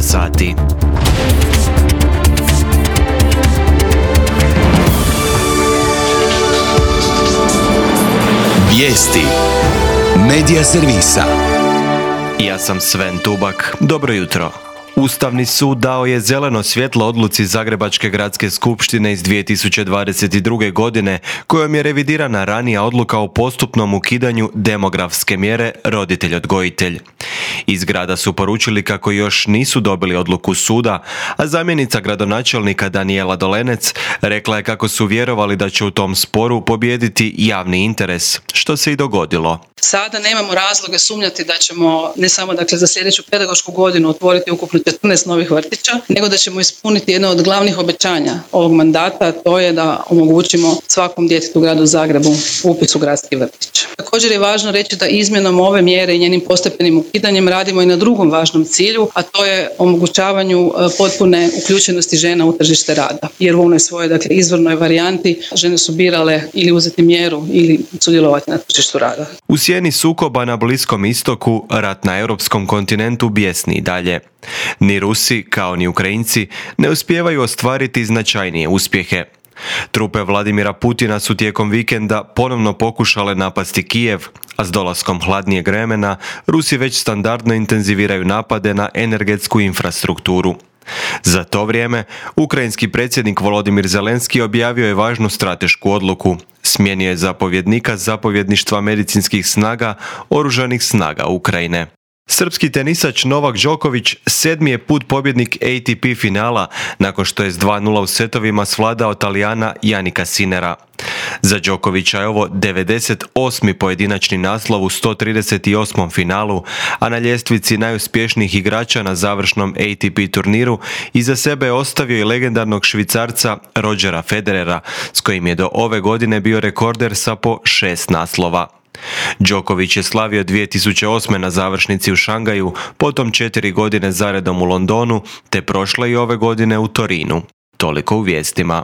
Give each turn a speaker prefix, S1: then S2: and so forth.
S1: sati.
S2: Vijesti Medija servisa.
S1: Ja sam Sven Tubak. Dobro jutro. Ustavni sud dao je zeleno svjetlo odluci Zagrebačke gradske skupštine iz 2022. godine, kojom je revidirana ranija odluka o postupnom ukidanju demografske mjere roditelj-odgojitelj. Iz grada su poručili kako još nisu dobili odluku suda, a zamjenica gradonačelnika Danijela Dolenec rekla je kako su vjerovali da će u tom sporu pobijediti javni interes, što se i dogodilo.
S3: Sada nemamo razloga sumnjati da ćemo ne samo za sljedeću pedagošku godinu otvoriti ukupno 14 novih vrtića, nego da ćemo ispuniti jedno od glavnih obećanja ovog mandata, a to je da omogućimo svakom djetetu u gradu Zagrebu upis u gradski vrtić. Također je važno reći da izmjenom ove mjere i njenim postepenim ukidanjem radimo i na drugom važnom cilju, a to je omogućavanju potpune uključenosti žena u tržište rada. Jer u onoj svojoj izvornoj varijanti žene su birale ili uzeti mjeru ili sudjelovati na tržištu rada.
S1: U sjeni sukoba na Bliskom istoku, rat na europskom kontinentu bijesni i dalje. Ni Rusi, kao ni Ukrajinci, ne uspijevaju ostvariti značajnije uspjehe. Trupe Vladimira Putina su tijekom vikenda ponovno pokušale napasti Kijev, a s dolaskom hladnijeg vremena Rusi već standardno intenziviraju napade na energetsku infrastrukturu. Za to vrijeme, ukrajinski predsjednik Volodimir Zelenski objavio je važnu stratešku odluku. Smijenio je zapovjednika zapovjedništva medicinskih snaga Oružanih snaga Ukrajine. Srpski tenisač Novak Đoković 7. je put pobjednik ATP finala nakon što je s 2:0 u setovima svladao Talijana Janika Sinera. Za Đokovića je ovo 98. pojedinačni naslov u 138. finalu, a na ljestvici najuspješnijih igrača na završnom ATP turniru iza sebe je ostavio i legendarnog Švicarca Rodgera Federera, s kojim je do ove godine bio rekorder sa po 6 naslova. Đoković je slavio 2008. na završnici u Šangaju, potom 4 godine zaredom u Londonu, te prošle i ove godine u Torinu. Toliko u vijestima.